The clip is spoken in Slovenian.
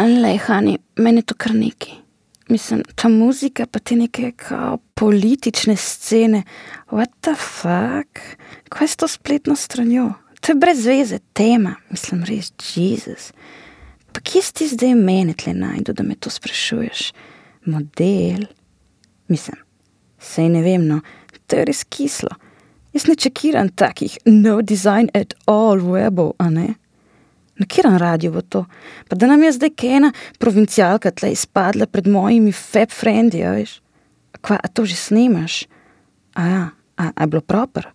Lej, Hani, meni je to kar neki. Mislim, ta muzika pa te neke kao politične scene. What the fuck? Kaj je s to spletno stranjo? To je brez veze tema. Mislim, res, Jesus. Pa kje si ti zdaj mene tle najdu, da me to sprašuješ? Model? Mislim, sej ne vem, no, to je res kislo. Jaz ne čekiram takih no design at all webov, a ne? Na kjeran radio bo to? Pa da nam je zdaj kena provincialka tle izpadla pred mojimi fab friendi, a veš? Kva, a to že snimaš? A ja, a je bilo proper?